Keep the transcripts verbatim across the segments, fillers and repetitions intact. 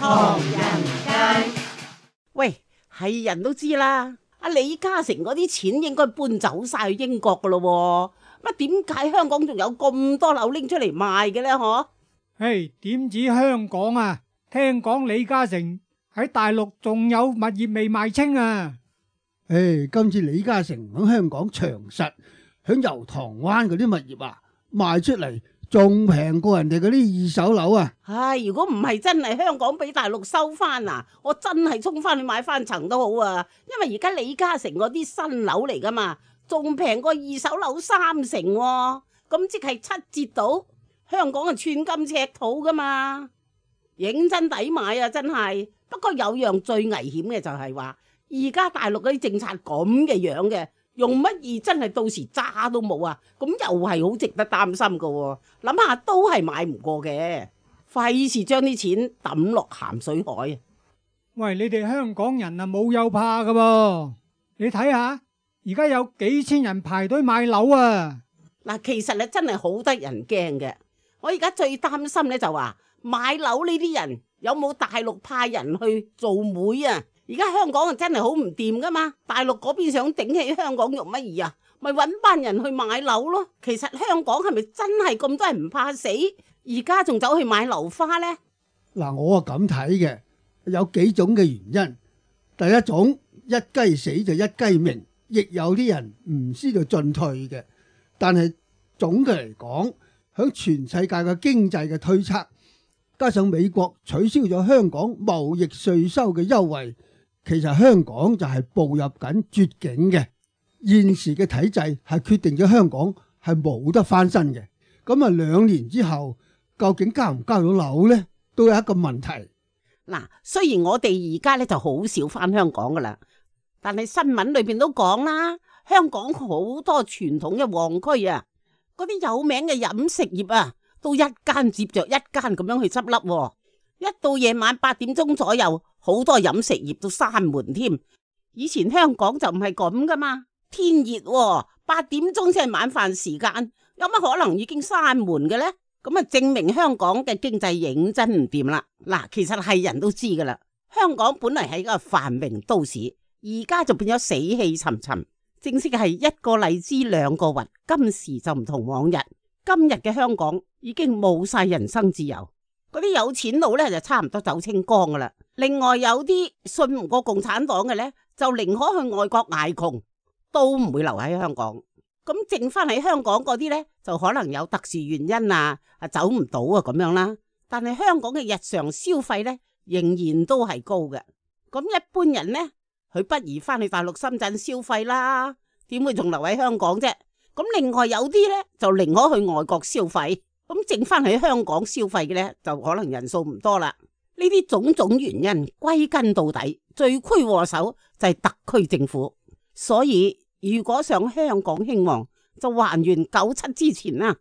唐人街。喂，係人都知啦，阿李嘉誠嗰啲錢應該搬走晒去英國噶咯，乜點解香港仲有咁多樓拎出嚟賣嘅呢？嗬？嘿，點止香港啊？聽講李嘉誠喺大陸仲有物業未賣清啊！誒，今次李嘉誠喺香港長實、喺油塘灣嗰啲物業啊，賣出嚟仲平過人哋嗰啲二手樓啊！唉，如果唔係真係香港俾大陸收翻啊，我真係衝翻去買翻層都好啊！因為而家李嘉誠嗰啲新樓嚟噶嘛，仲平過二手樓三成喎，咁即係七折到。香港係寸金尺土噶嘛，認真抵買啊！真係。不過有樣最危險嘅就係話，而家大陸嗰啲政策咁嘅樣嘅，用乜嘢真係到時渣都冇啊！咁又係好值得擔心噶喎。諗下都係買唔過嘅，費事將啲錢抌落鹹水海啊！喂，你哋香港人啊冇有怕噶噃？你睇下，而家有幾千人排隊買樓啊！嗱，其實咧真係好得人驚嘅。我而家最擔心咧就話買樓呢啲人有冇大陸派人去做媒啊？而家香港啊真係好唔掂噶嘛，大陸嗰邊想頂起香港用乜嘢啊？咪搵班人去買樓咯。其實香港係咪真係咁多人唔怕死，而家仲走去買樓花呢？嗱，我啊咁睇嘅，有幾種嘅原因。第一種，一雞死就一雞鳴，亦有啲人唔知道進退嘅。但係總嘅嚟講，響全世界嘅經濟嘅推測，加上美國取消咗香港貿易稅收嘅優惠，其實香港就係步入緊絕境嘅。現時嘅體制係決定咗香港係冇得翻身嘅。咁啊，兩年之後究竟交唔交到樓呢？都有一個問題。嗱，雖然我哋而家咧就好少翻香港噶啦，但係新聞裏邊都講啦，香港好多傳統嘅旺區啊。嗰啲有名嘅飲食業啊，都一間接着一間咁樣去執笠，一到夜晚八點鐘左右，好多飲食業都閂門添。以前香港就唔係咁噶嘛，天熱八點鐘先係晚飯時間，有乜可能已經閂門嘅呢？咁啊，證明香港嘅經濟認真唔掂啦。嗱，其實係人都知噶啦，香港本嚟係一個繁榮都市，而家就變咗死氣沉沉。正式係一個荔枝兩個核，今時就唔同往日。今日嘅香港已經冇晒人身自由，嗰啲有錢佬咧就差唔多走清光噶啦。另外有啲信唔過共產黨嘅咧，就寧可去外國挨窮，都唔會留喺香港。咁剩翻喺香港嗰啲咧，就可能有特殊原因啊，啊走唔到啊咁樣啦。但係香港嘅日常消費咧，仍然都係高嘅。咁一般人咧，佢不如翻去大陸深圳消費啦，點會仲留喺香港啫？咁另外有啲呢，就寧可去外國消費，咁剩翻喺香港消費嘅呢，就可能人數唔多啦。呢啲種種原因歸根到底，罪魁禍首就係特區政府。所以如果想香港興旺，就還原九七之前啦。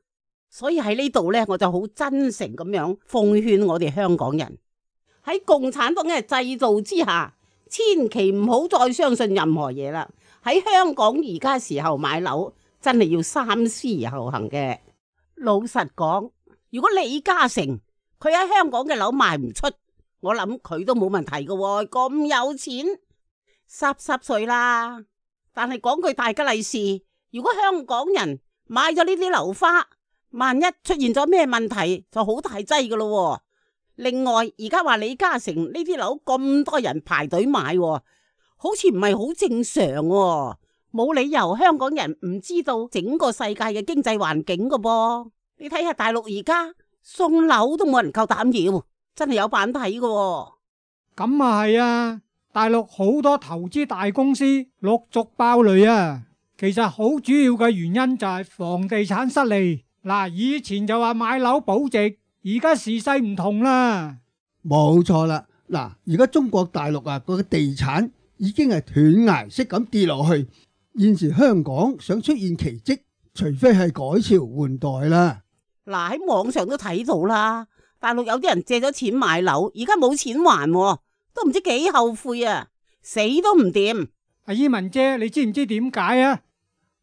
所以喺呢度呢，我就好真誠咁樣奉勸我哋香港人，喺共產黨嘅制度之下，千祈唔好再相信任何嘢啦。喺香港而家時候買樓，真係要三思而後行嘅。老實講，如果李嘉誠佢喺香港嘅樓賣唔出，我諗佢都冇問題嘅，咁有錢，濕濕碎啦。但係講句大吉利是，如果香港人買咗呢啲樓花，萬一出現咗咩問題，就好大劑噶咯。另外，而家話李嘉誠呢啲樓咁多人排隊買，好似唔係好正常喎，冇理由香港人唔知道整個世界嘅經濟環境噶噃。你睇下大陸而家送樓都冇人夠膽要，真係有版睇噶。咁啊係啊，大陸好多投資大公司陸續爆雷啊。其實好主要嘅原因就係房地產失利。嗱，以前就話買樓保值，而家時勢唔同啦。冇錯啦，嗱，而家中國大陸啊，個地產已經係斷崖式咁跌落去。現時香港想出現奇蹟，除非係改朝換代啦。嗱，喺網上都睇到啦，大陸有啲人借咗錢買樓，而家冇錢還，都唔知幾後悔啊，死都唔掂。阿依文姐，你知唔知點解啊？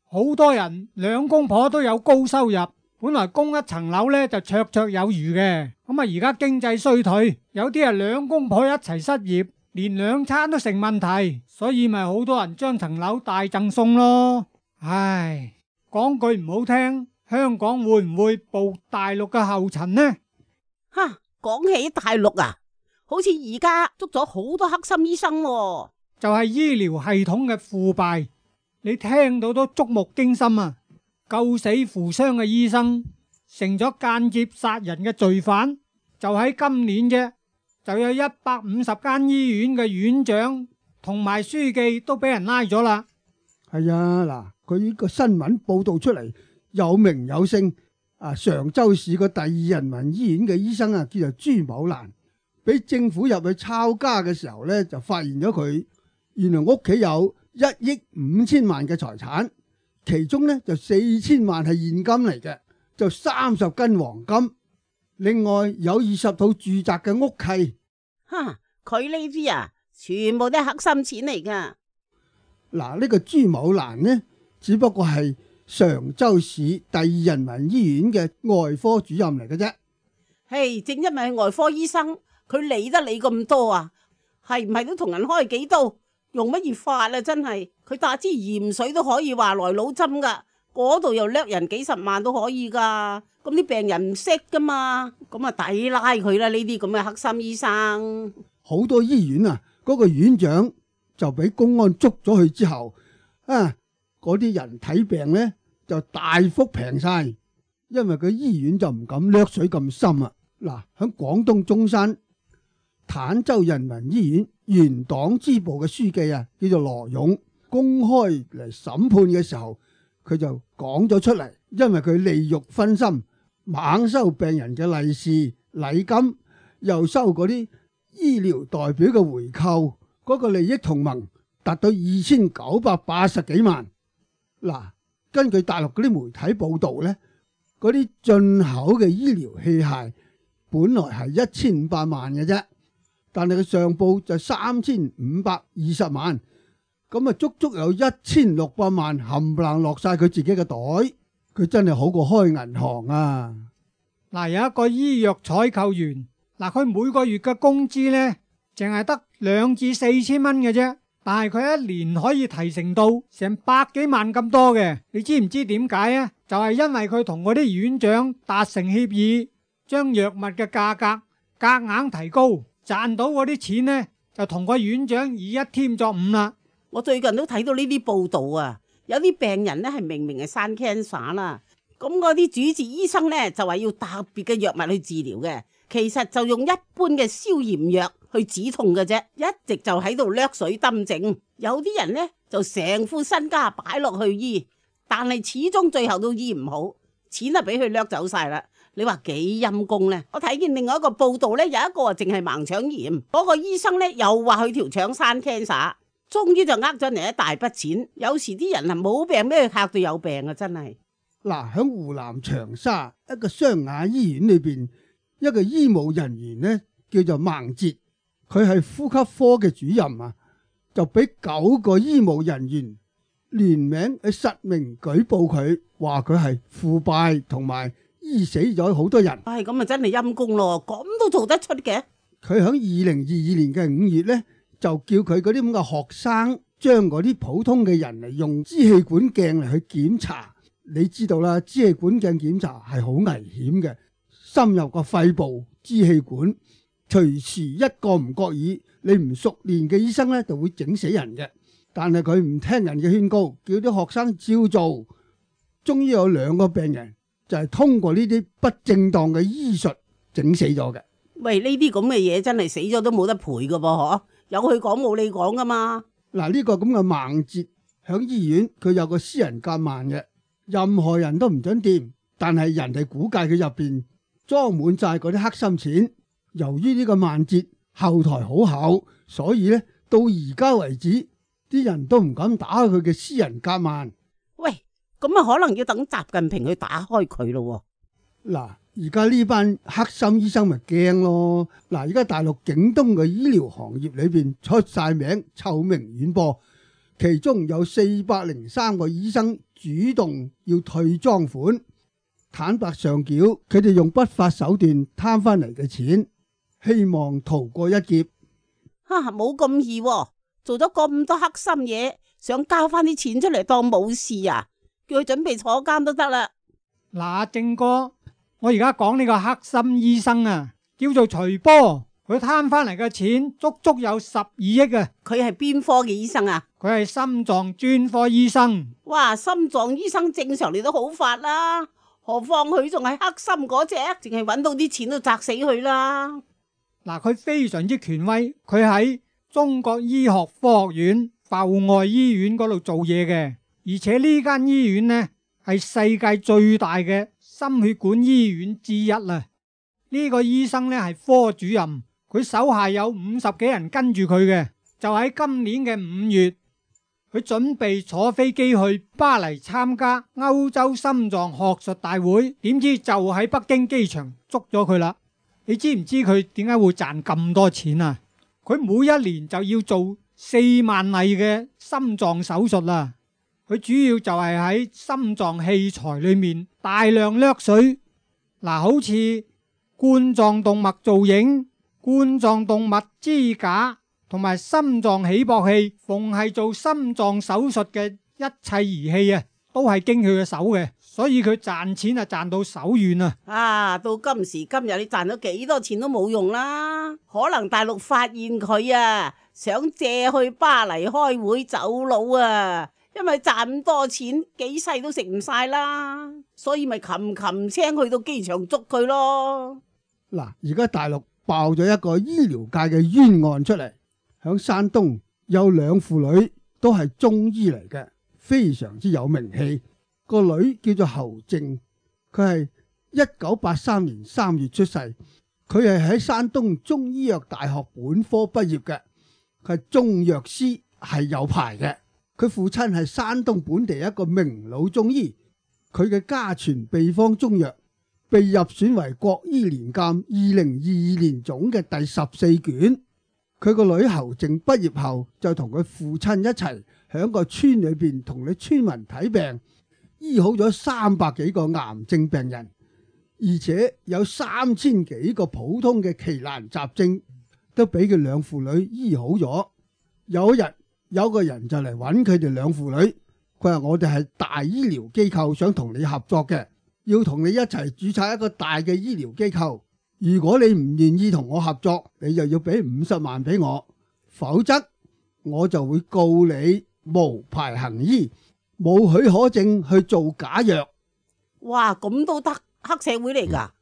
好多人兩公婆都有高收入，本來供一層樓呢就綽綽有餘嘅，咁啊而家經濟衰退，有啲係兩公婆一齊失業，連兩餐都成問題，所以咪好多人將層樓大贈送咯。唉，講句唔好聽，香港會唔會步大陸嘅後塵呢？哈，講起大陸啊，好似而家捉咗好多黑心醫生喎。就係醫療系統嘅腐敗，你聽到都觸目驚心啊！救死扶傷嘅醫生成咗間接殺人嘅罪犯，就喺今年啫，就有一百五十間醫院嘅院長同埋書記都俾人拉咗啦。係啊，嗱，佢呢個新聞報道出嚟有名有姓啊，常州市個第二人民醫院嘅醫生啊，叫做朱某蘭，俾政府入去抄家嘅時候呢，就發現咗佢原來屋企有一億五千萬嘅財產。其中呢就四千萬係現金嚟嘅，就三十斤黃金，另外有二十套住宅嘅屋契。哈，佢呢啲啊，全部都係黑心錢嚟噶。嗱，呢個朱某蘭呢，只不過係常州市第二人民醫院嘅外科主任嚟嘅啫。嘿，正因為係外科醫生，佢理得你咁多啊？係唔係都同人開幾刀？用乜嘢法啊？真係佢打支鹽水都可以話來佬針噶，嗰度又掠人幾十萬都可以噶。咁啲病人唔識噶嘛，咁啊抵拉佢啦！呢啲咁嘅黑心醫生，好多醫院啊，嗰個院長就俾公安捉咗去之後，啊，嗰啲人睇病呢就大幅平晒，因為佢醫院就唔敢掠水咁深啊。嗱，喺廣東中山坦州人民醫院原黨支部嘅書記啊，叫做羅勇，公開嚟審判嘅時候，佢就講咗出嚟，因為佢利欲熏心，猛收病人嘅利是禮金，又收嗰啲醫療代表嘅回扣，嗰個利益同盟達到二千九百八十幾萬。嗱，根據大陸嗰啲媒體報道呢，嗰啲進口嘅醫療器械本來係一千五百萬嘅啫。但係佢上報就三千五百二十萬，咁啊足足有一千六百萬冚唪唥落晒佢自己嘅袋，佢真係好過開銀行啊！嗱，有一個醫藥採購員，嗱，佢每個月嘅工資呢，淨係得兩至四千蚊嘅啫，但係佢一年可以提成到成百幾萬咁多嘅，你知唔知點解啊？就係因為佢同嗰啲院長達成協議，將藥物嘅價格夾硬提高。賺到嗰啲錢呢，就同個院長以一添作五啦。我最近都睇到呢啲報道啊，有啲病人呢係明明係生 cancer 啦，咁嗰啲主治醫生呢就話要特別嘅藥物去治療嘅，其實就用一般嘅消炎藥去止痛嘅啫，一直就喺度掠水登症。有啲人呢就成副身家擺落去醫，但係始終最後都醫唔好，錢啊俾佢掠走晒啦。你話幾陰公呢？我睇見另外一個報道呢，有一個啊淨係盲腸炎，嗰個醫生呢又話佢條腸生 cancer， 終於就呃咗人一大筆錢。有時啲人啊冇病俾佢嚇到有病啊，真係。嗱，喺湖南長沙一個湘雅醫院裏邊，一個醫務人員呢叫做孟捷，佢係呼吸科嘅主任啊，就俾九個醫務人員聯名去實名舉報佢，話佢係腐敗同埋醫死咗好多人。唉，咁啊真係陰公咯，咁都做得出嘅。佢喺二零二二年嘅五月呢，就叫佢嗰啲咁嘅學生將嗰啲普通嘅人嚟用支氣管鏡嚟去檢查。你知道啦，支氣管鏡檢查係好危險嘅，深入個肺部支氣管，隨時一個唔覺意，你唔熟練嘅醫生呢就會整死人嘅。但係佢唔聽人嘅勸告，叫啲學生照做，終於有兩個病人就係通過呢啲不正當嘅醫術整死咗嘅。喂，呢啲咁嘅嘢真係死咗都冇得賠噶噃，嗬？有佢講冇你講噶嘛？嗱，呢個咁嘅孟捷響醫院，佢有個私人監萬嘅，任何人都唔准掂。但係人哋估計佢入邊裝滿晒嗰啲黑心錢。由於呢個孟捷後台好厚，所以咧到而家為止，啲人都唔敢打開佢嘅私人監萬。喂，咁啊可能要等習近平去打開佢咯。嗱，而家呢班黑心醫生咪驚咯。嗱，而家大陸景東嘅醫療行業裏邊出晒名，臭名遠播，其中有四百零三個醫生主動要退贓款。坦白上繳佢哋用不法手段貪翻嚟嘅錢，希望逃過一劫。哈，冇咁易喎，做咗咁多黑心嘢，想交翻啲錢出嚟當冇事啊？叫佢準備坐監都得啦。嗱，正哥，我而家講呢個黑心醫生啊，叫做徐波，佢貪翻嚟嘅錢足足有十二億啊！佢係邊科嘅醫生啊？佢係心臟專科醫生。哇，心臟醫生正常你都好發啦，何況佢仲係黑心嗰隻，淨係揾到啲錢都砸死佢啦。嗱，佢非常之權威，佢喺中國醫學科學院阜外醫院嗰度做嘢嘅，而且呢間醫院呢係世界最大嘅心血管醫院之一啦。呢個醫生呢係科主任，佢手下有五十幾人跟住佢嘅。就喺今年嘅五月，佢準備坐飛機去巴黎參加歐洲心臟學術大會，點知就喺北京機場捉咗佢啦。你知唔知佢點解會賺咁多錢啊？佢每一年就要做四萬例嘅心臟手術啦。佢主要就係喺心臟器材裏面大量掠水，嗱，好似冠狀動脈造影、冠狀動脈支架同埋心臟起搏器，逢係做心臟手術嘅一切儀器啊，都係經佢嘅手嘅，所以佢賺錢啊賺到手軟啊！啊，到今時今日你賺咗幾多錢都冇用啦，可能大陸發現佢啊，想借去巴黎開會走佬啊，因為賺咁多錢，幾世都食唔晒啦，所以咪擒擒青去到機場捉佢咯。嗱，而家大陸爆咗一個醫療界嘅冤案出嚟，響山東有兩父女都係中醫嚟嘅，非常之有名氣。個女叫做侯靜，佢係一九八三年三月出世，佢係喺山東中醫藥大學本科畢業嘅，佢係中藥師，係有牌嘅。佢父親係山東本地一個名老中醫，佢嘅家傳秘方中藥被入選為國醫年鑑二零二二年總嘅第十四卷。佢個女侯靜畢業後就同佢父親一齊響個村裏邊同你村民睇病，醫好咗三百幾個癌症病人，而且有三千幾個普通嘅奇難雜症都俾佢兩父女醫好咗。有一日有個人就嚟揾佢哋兩父女，佢話我哋係大醫療機構，想同你合作嘅，要同你一齊註冊一個大嘅醫療機構。如果你唔願意同我合作，你就要俾五十萬俾我，否則我就會告你無牌行醫，冇許可證去做假藥。哇，咁都得，黑社會嚟噶？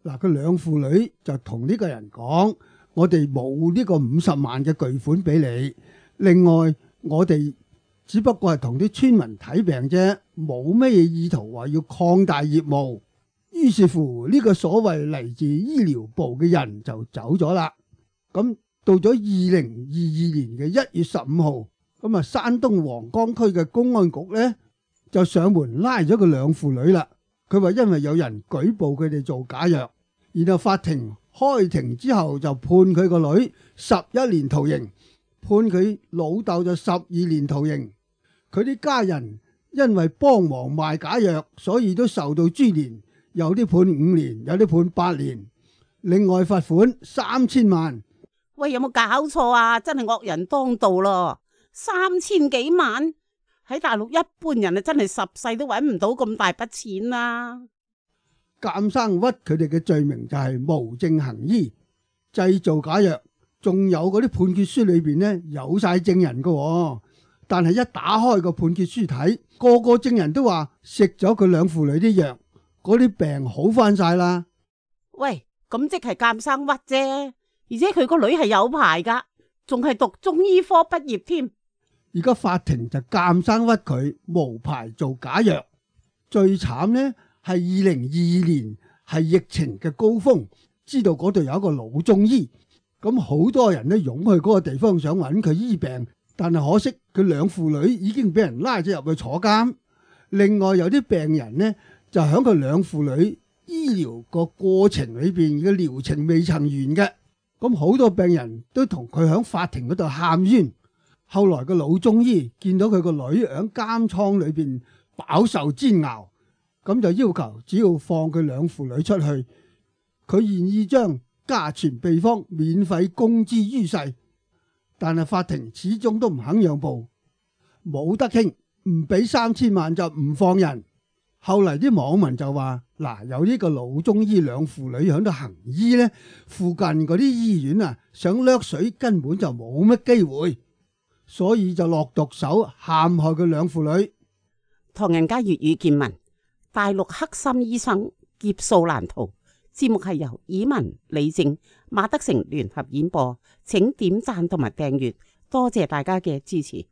嗱，佢兩父女就同呢個人講，我哋冇呢個五十萬嘅巨款俾你，另外我哋只不過係同啲村民睇病啫，冇咩意圖話要擴大業務。於是乎呢個所謂嚟自醫療部嘅人就走咗啦。咁到咗二零二二年嘅一月十五號，咁啊山東黃岡區嘅公安局呢，就上門拉咗佢兩父女啦。佢話因為有人舉報佢哋做假藥，然後法庭開庭之後就判佢個女十一年徒刑，判佢老豆就十二年徒刑。佢啲家人因為幫忙賣假藥，所以都受到株連。有啲判五年，有啲判八年，另外罰款三千萬。喂，有冇搞錯啊？真係惡人當道咯！三千幾萬喺大陸一般人啊，真係十世都搵唔到咁大筆錢啦。鑑生屈佢哋嘅罪名就係無證行醫、製造假藥，仲有嗰啲判決書裏邊呢，有晒證人噶，但係一打開個判決書睇，個個證人都話食咗佢兩父女啲藥，嗰啲病好翻晒啦。喂，咁即係鑑生屈啫，而且佢個女係有牌噶，仲係讀中醫科畢業添。而家法庭就鑑生屈佢無牌做假藥。最慘呢係二零二二年係疫情嘅高峰，知道嗰度有一個老中醫，咁好多人呢湧去嗰個地方想揾佢醫病，但係可惜佢兩父女已經俾人拉咗入去坐監。另外有啲病人呢，就喺佢兩父女醫療個過程裏邊嘅療程未曾完嘅，咁好多病人都同佢喺法庭嗰度喊冤。後來個老中醫見到佢個女喺監倉裏邊飽受煎熬，咁就要求只要放佢兩父女出去，佢願意將家傳秘方免費公之於世。但係法庭始終都唔肯讓步，冇得傾，唔俾三千萬就唔放人。後嚟啲網民就話：嗱，有呢個老中醫兩父女喺度行醫呢，附近嗰啲醫院啊，想掠水根本就冇乜機會，所以就落毒手陷害佢兩父女。唐人街粵語見聞，大陸黑心醫生劫數難逃。節目係由以文、李正、馬德成聯合演播，請點讚同埋訂閱，多謝大家嘅支持。